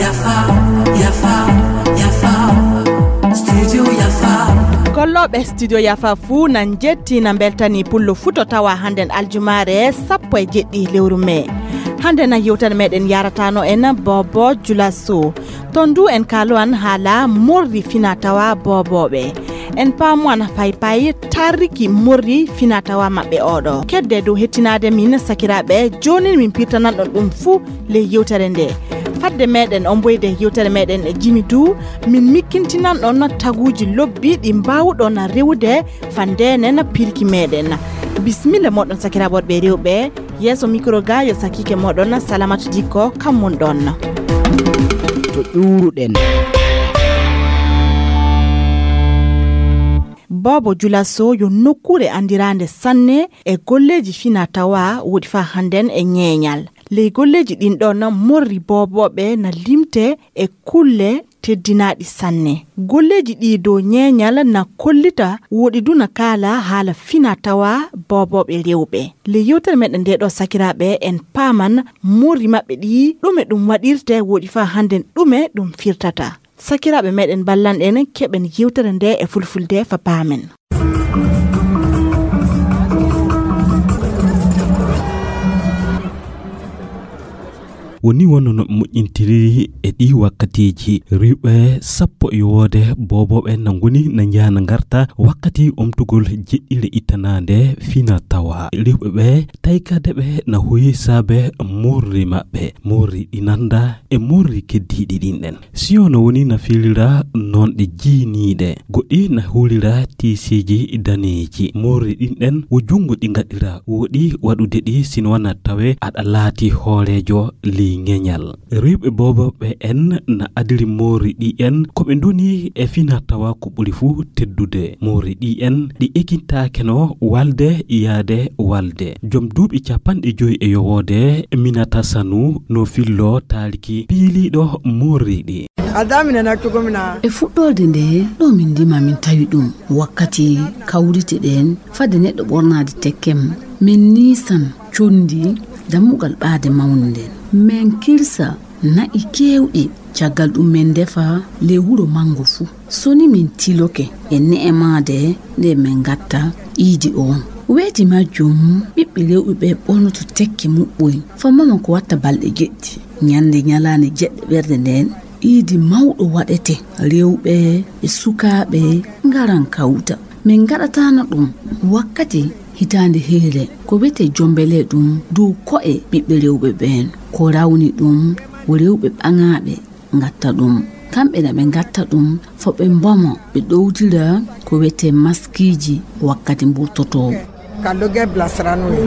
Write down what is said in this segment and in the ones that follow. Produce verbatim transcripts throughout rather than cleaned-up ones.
Yafa, yafa, yafa. Studio Yafa. Gollooɓe Studio Yafa fuu na njetti, na mbeltani pullo fuu to tawa hannden aljumaare sappo e jeɗɗi lewru mee. Hannde na yewtere meɗen yaratano en Bobo Julaso. Ton du en kaalowan haala morri fina tawa boobooɓe. En paamowan paypay tarriki morri fina tawa maɓɓe oɗo. Kedde dow hettinaade min sakiraaɓe, joonin min pirtananɗon ɗum fuu ley yewtere nde. Fadde meɗen omboyde yewtere meɗen e jimi du, min mikkintinanɗon taguuji lobbi ɗi mbaawɗon rewude fandenen pirki meɗen. Bisimilla moɗon sakiraaɓe worɓe e rewɓe. Yeeso mikro ga yo sakiike moɗon Salamatu Dikko, kam mon ɗon. To ƴuuruɗen. Bobo Julaso yo nokkuure anndiraande sanne e golleeji fina tawa woɗi faa hannden e ñeeñal. Ley golleeji ɗin ɗon morri boobooɓe na limte e kulle teddinaaɗi sanne. Golleeji ɗi dow ñeeñal na kollita woɗi du na kaala haala fina tawa boobooɓe rewɓe. Ley yewtere meɗen nde ɗo sakiraaɓe en paaman morri maɓɓe ɗi ɗume ɗum waɗirte woɗi faa hannden ɗume ɗum firtata. Sakiraaɓe meɗen ballanɗen keɓen yewtere nde e fulfulde fa paamen. Woni wonno no moƴƴintiri e ɗi wakkatiiji. Riwɓe sappo e yowoode boobooɓe na ngoni na njaha na ngarta wakkati omtugol jeɗɗire ittanaande fina tawa. Riwɓe ɓe taykade ɓe na hoyi saabe morri maɓɓe. Morri ɗi nanda e morri keddiiɗi ɗin ɗen. Siyo no woni na filira noon ɗe jiiniiɗe, goɗɗi na huulira tiisiiji daneeji. Morri ɗin ɗen wo junngo ɗi ngaɗira, woɗi waɗude ɗi sino wanaa tawe aɗa laati hooreejo ley ŋeñal. Riwɓe boobooɓe en na adiri morri ɗi en ko ɓe ndoni e fina tawa ko ɓuri fuu teddude. Morri ɗi en ɗi ekintaake no walde yaade walde. Joom duuɓi capanɗe joyi e yowoode Minata Sanu no fillo taaliki piiliiɗo morri ɗi. A damina na cogo min na. E fuɗɗorde nde ɗo min ndima min tawi ɗum wakkati kawrite ɗen fade neɗɗo ɓornaade tekkem min niisan condi dammugal ɓaade mawnde nden. Min kirsa na'i keewɗi, caggal ɗum min ndefa ley wuro manngo fuu. So ni min tiloke e ne'emaade nde min ngatta iidi on. Weeti majjum ɓiɓɓe rewɓe ɓe ɓornoto tekke muɓɓoy. Fa mama ko watta balɗe jeɗɗi. Ñande ñalaande jeɗɗe ɓerde nden iidi mawɗo waɗete. Rewɓe e sukaaɓe ngaran kawta. Min ngaɗataano ɗum wakkati hitaande heyre ko wiyetee jombele ɗum dow ko'e ɓiɓɓe rewɓe ɓeen. Ko rawni ɗum wo rewɓe ɓaŋaaɓe ngatta ɗum. Kamɓe na ɓe ngatta ɗum fo ɓe mbomo ɓe ɗowtira ko wiyetee maskiiji wakkati mburtotoo. Ka doge bilasirano ye.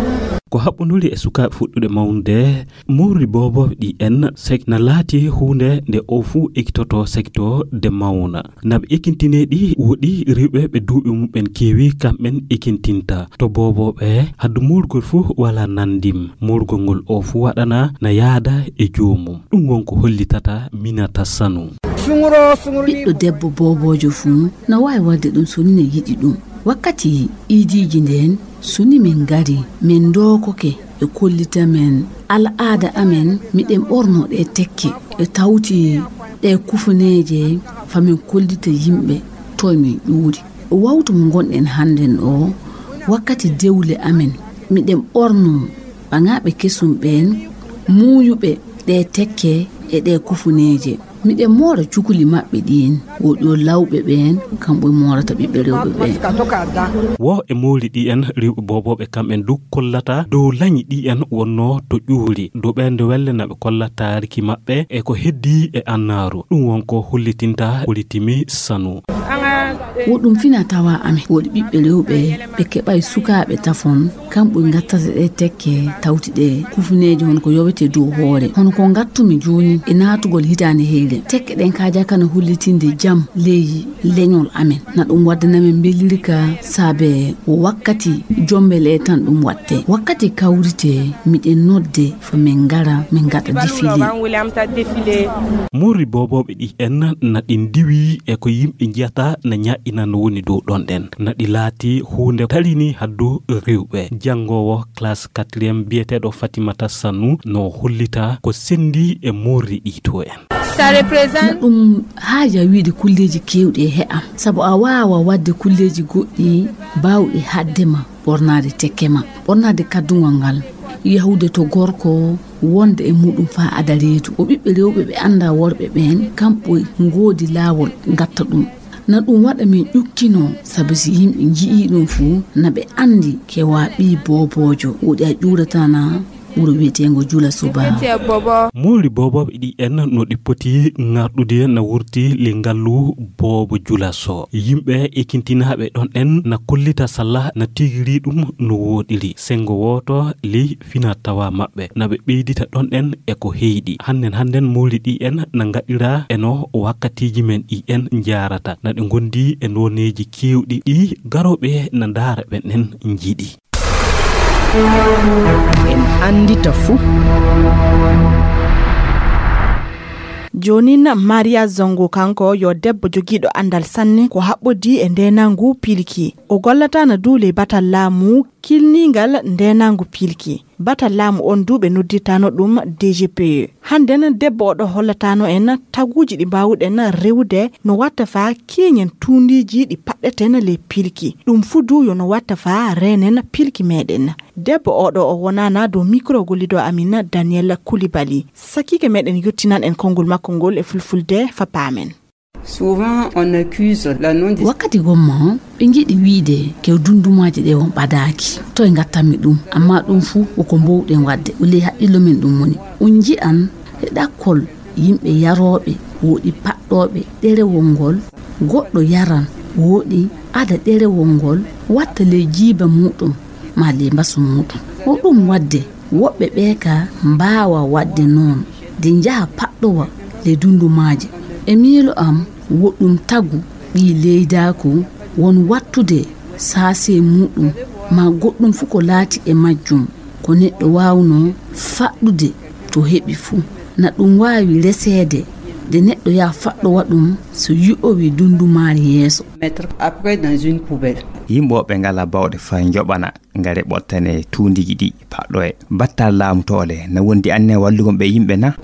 Ko haɓɓunduri e sukaaɓe fuɗɗude mawnude, morri boobooɓe ɗi en sek na laati huunde nde o fuu ekitoto sekto de mawna. Na ɓe ekintine ɗi woɗi riwɓe ɓe duuɓi muɓɓen keewi kamɓen ekintinta. To boobooɓe haddu morgol fuu wala nandim. Morgol ngol o fuu waɗana na yaada e joomum. Ɗum won ko hollitata Minata Sanu. Suŋuro, suŋuro ni. Ɓiɗɗo debbo booboojo fuu na waawi waɗde ɗum so ni ne yiɗi ɗum. Wakkati iidiiji ndeen, so ni min ngari, min ndookoke, ɓe kollita min al'aada amen, miɗen ɓornoo ɗee tekke. Ɓe tawti ɗee kufuneeje, fa min kollita yimɓe, toy min ƴuuri. Wawtu mo ngonɗen hannden o, wakkati dewle amen, miɗen ɓornoo ɓaŋaaɓe kesum ɓeen, muuyuɓe ɗee tekke e ɗee kufuneeje. Miɗen moora cukuli maɓɓe ɗiin, wo ɗo lawɓe ɓeen, kamɓe moorata ɓiɓɓe rewɓe ɓeen. Wo e mooli ɗi en riwɓe boobooɓe kamɓen du kollata dow lañi ɗi en wonnoo to ƴuuri. Dow ɓeen nde welle na ɓe kolla taariki maɓɓe e ko heddii e annaaru. Ɗum won ko hollitinta Politimi Sanu. Wo ɗum fina tawa amen, woɗi ɓiɓɓe rewɓe ɓe keɓay sukaaɓe tafon, kamɓe ngattata ɗe tekke tawti ɗe kufuneeje hono ko yowete dow hoore. Hono ko ngattumi jooni e naatugol hitaande heyre. Tekke ɗen kaaja kana hollitinde jam ley leñol amen. Na ɗum waddana men mbelirka saabe wo wakkati jombele tan ɗum watte. Wakkati kawrite miɗen nodde fa min ngara min ngaɗa defile. Morri boobooɓe ɗi en na ɗi ndiwi e ko yimɓe njiyata na ñaaƴi ina no woni dow ɗon ɗen. Naɗi laati huunde tarini haddu rewɓe. Janngoowo classe quatrième biyeteeɗo Fatimata Sanu no hollita ko senndi e moorri ɗi to en. Na ɗum haaja wiide kulleeji keewɗi e he'a, sabu a waawa waɗde kulleeji goɗɗi baawɗi haɗde ma ɓornaade tekke ma, ɓornaade kaddungol ngal, yahude to gorko, wonde e muɗum faa ada reedu. O ɓiɓɓe rewɓe ɓe anndaa worɓe ɓeen, kamɓe ngoodi laawol ngatta ɗum. Na ɗum waɗa min ƴukkinoo, sabu si yimɓe nji'ii ɗum fuu, na ɓe anndi kewaa ɓii booboojo. Woɗi a ƴuurataa na wuro wiyeteengo Jula Subaa. Moori boobooɓe ɗi en no ɗi poti ŋarɗude na wurti le ngallu boobo Jula so. Yimɓe ekintinaaɓe ɗon en na kollita salla na tigiri ɗum no woɗiri. Senngo wooto ley fina tawa maɓɓe. Na ɓe ɓeydita ɗon en e ko heyɗi. Hannden hannden moori ɗi en na ngaɗira e no wakkatiiji men ɗi en njaarata. Na ɗi ngondi e nooneeji keewɗi ɗi garooɓe na ndaara ɓen en njiɗi. En anndita fuu. Joonin Maria Zongo kanko yo debbo jogiiɗo anndal sanne ko haɓɓodii e ndeenangu pilki. O gollataana duu ley batal laamu kilniingal ndeenangu pilki. Batal laamu on duu ɓe noddirtaano ɗum D G P E. Hannden debbo oɗo hollataano en taguuji ɗi mbaawuɗen rewude no watta faa kiiŋen tuundiiji ɗi paɗɗeten ley pilki. Ɗum fuu duu yo no watta faa reenen pilki meeɗen. Debbo oɗo o wonaana dow mikro gollidoo amin Daniel Koulibaly. Sakiike meeɗen yottinan en konngol makko ngol e fulfulde fa paamen. Wakkati gomma ɓe njiɗi wiide ke dundumaaji ɗe on ɓadaaki. Toye ngattanmi ɗum? Amma ɗum fuu ko ko mbowɗen waɗde. O ley haqqillo men ɗum woni. On nji'an e ɗakkol yimɓe yarooɓe, woɗi paɗɗooɓe ɗerewol ngol, goɗɗo yaran, woɗi ada ɗerewol ngol, watta ley jiiba muuɗum maa ley mbasu muuɗum. Ko ɗum waɗde woɓɓe ɓee ka mbaawa waɗde noon, de njaha paɗɗowa ley dundumaaji. E miilo am, woɗɗum tagu ɓii leydaaku won wattude saasee muuɗum maa goɗɗum fuu ko laati e majjum, ko neɗɗo waawnoo faɗɗude to heɓi fuu. Na ɗum waawi reseede de neɗɗo yaha faɗɗowa ɗum so yi'owi dundumaari yeeso. Yimɓe woɓɓe ngalaa baawɗe faa njoɓana ngare ɓottane tuundiiji ɗi paɗɗoye. Battal laamu toole na wondi anne wallugol ɓe yimɓe na?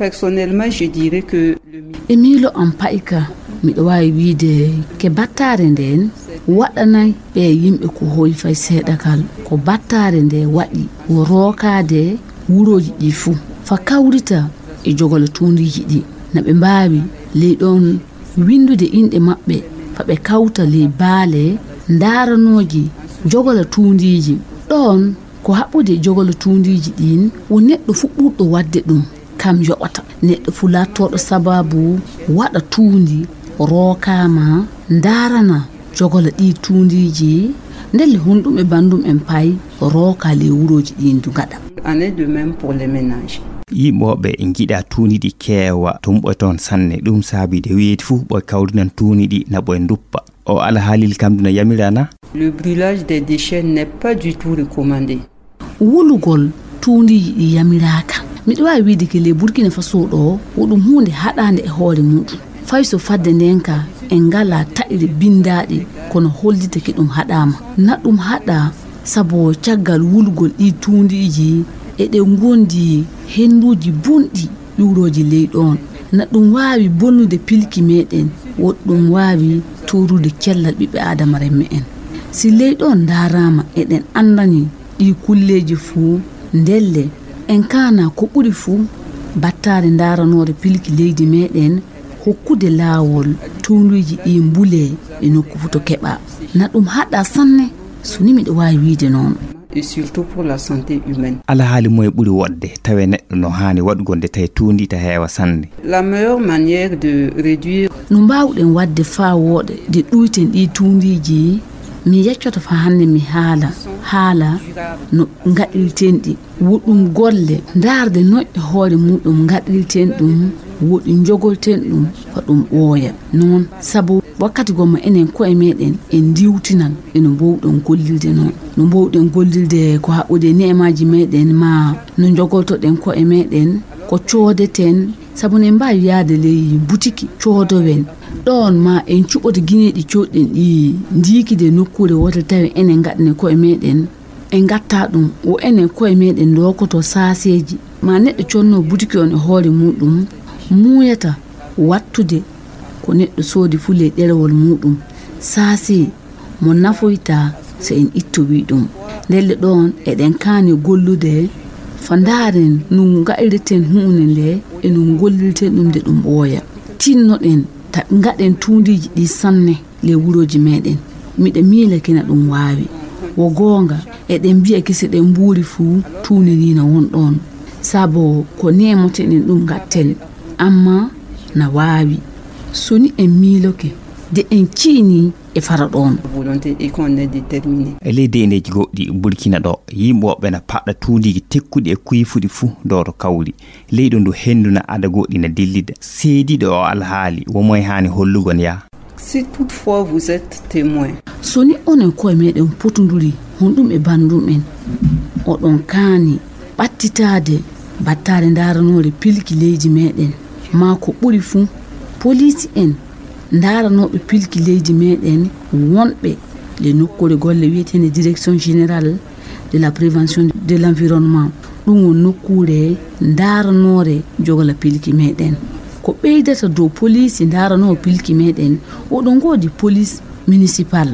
E miilo am pa'ika, miɗo waawi wiide ke battaare ndeen waɗanay ɓee yimɓe ko hooyi fay seeɗa kal. Ko battaare nde waɗi wo rookaade wurooji ɗi fuu, fa kawrita e jogola tuundiiji ɗi. Na ɓe mbaawi ley ɗoon winndude inɗe maɓɓe, fa ɓe kawta ley baale ndaaranooji jogola tuundiiji. Ɗoon ko haɓɓude e jogola tuundiiji ɗiin, wo neɗɗo fuu ɓurɗo waɗde ɗum, kam yoɓata. Neɗɗo fuu laattooɗo sabaabu waɗa tuundi, rookaama, ndaarana jogola ɗii tuundiiji, ndelle honɗum e banndum en pay rooka ley wurooji ɗiin du ngaɗa. Yimɓe woɓɓe njiɗa tuundi ɗi keewa, tumɓoy toon sanne. Ɗum saabi de wiyeede fuu ɓoy kawrinan tuundi ɗi na ɓoy nduppa. O alhaalil kam duna yamira na? Le brûlage des déchets n'est pas du tout recommandé. Wulugol tuundiiji ɗi yamiraaka. Miɗo waawi wiide ke ley Burkina Faso ɗo, wo ɗum huunde haɗaande e hoore muuɗum. Fay so fadde ndeen ka en ngalaa taƴre binndaaɗe, kono hollitake ɗum haɗaama. Na ɗum haɗaa sabu caggal wulugol ɗii tuundiiji eɗe ngondi hennduuji bonɗi ƴuurooji ley ɗoon. Na ɗum waawi bonnude pilki meeɗen, woɗɗum waawi toorude cellal ɓiɓɓe aadama renme en. Si ley ɗoon ndaaraama eɗen anndani ɗii kulleeji fuu, ndelle en kaana ko ɓuri fuu battaare ndaaranoore pilki leydi meeɗen hokkude laawol tuundiiji ɗii mbulee e nokku fuu to keɓaa. Na ɗum haɗaa sanne, so ni miɗo waawi wiide noon. Et surtout pour la santé humaine. Alhaali moye ɓuri woɗde tawe neɗɗo no haani waɗugol nde tawi tuundi ta heewa sanne? La meilleure manière de réduire. No mbaawɗen waɗde faa wooɗa de ɗuyten ɗii tuundiiji, mi yeccoto faa hannde mi haala haala no ngaɗirten ɗi. Wo ɗum golle ndaarde noƴƴe hoore muuɗum ngaɗirten ɗum, wo ɗi njogorten ɗum faa ɗum ɓooya. Noon, sabu wakkati gomma enen ko'e meeɗen en ndiiwtinan e no mboowɗen gollirde noon. No mboowɗen gollirde ko haɓɓude e ne'emaaji meeɗen maa no njogortoɗen ko'e meeɗen, ko coodeten, sabu no en mbaawi yahde ley butiki coodowen. Ɗoon ma en cuɓoto gineeji cooɗɗen ɗi ndiiki de nokkuure wootere tawi enen ngaɗane koye meɗen, en ngatta ɗum o enen koye meɗen ndookoto saaseeji. Ma neɗɗo conno butiki on e hoore muɗum, muuyata wattude ko neɗɗo soodi fuu ley ɗerewol muɗum, saasee mo nafoyta so en ittowi ɗum. Ndelle ɗoon eɗen kaani gollude fa ndaaren no ngaɗirten huunde nde e no ngollirten ɗum nde ɗum ɓooya. Tinnoɗen ta ngaɗen tuundiiji ɗi sanne ley wurooji meɗen. Miɗa miila kina ɗum waawi. Wo goonga, eɗen mbiya gese ɗen mbuuri fuu tuundi ndi na won ɗoon. Sabo ko neemoteɗen ɗum ngatten, amma na waawi. So ni en miiloke, de en ciini e fara ɗoon. Volonté et qu'on est déterminé. E ley deyndeeji goɗɗi Burkina ɗo, yimɓe woɓɓe na paɗɗa tuundiiji tekkuɗi e kuyfuɗi fuu dow to kawri. Leyɗo ndu henndu na ada goɗɗi na dillida. Seediiɗo o alhaali, wo moye haani hollugon ya? Si toutefois vous êtes témoin. So ni onon koye meɗen potonduri honɗum e banndum en, oɗon kaani ɓattitaade battaare ndaaranoore pilki leydi meɗen, maa ko ɓuri fuu, poliisi en ndaaranooɓe pilki leydi meɗen wonɓe le nokkuure golle wiyeteende Direction Générale de la Prévention de l'Environnement. Ɗum won nokkuure ndaaranoore jogola pilki meɗen. Ko ɓeydata dow poliisi ndaaranoo pilki meɗen, oɗon ngoodi poliisi municipal.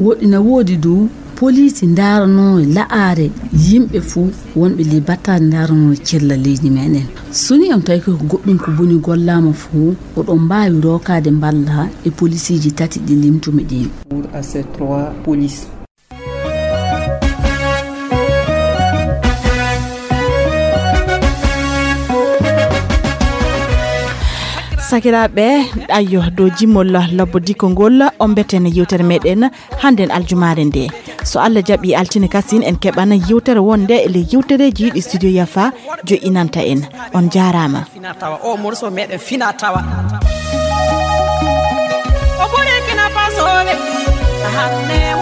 Woɗɗi na woodi dow poliisi ndaaranoo la'aare yimɓe fuu wonɓe ley battaare ndaaranoo cella leydi meɗen. So ni on tawi ko goɗɗum ko boni gollaama fuu, oɗon mbaawi rookaade mballa e poliisiiji tati ɗi limtumi ɗin. Pour à ces trois polices. Sakiraaɓe, ayyo, dow jimmol lobbo dikko ngol, on mbeten yewtere meɗen hannden aljumaare nde. So Allah jaɓi altine kasin en keɓana yewtere wonde e ley yewtereeji ɗi studio Yafa jo'inanta en. On jaaraama. Fina tawa, o morceau meɗen fina tawa. O Burkina Faso ɓe. Hannde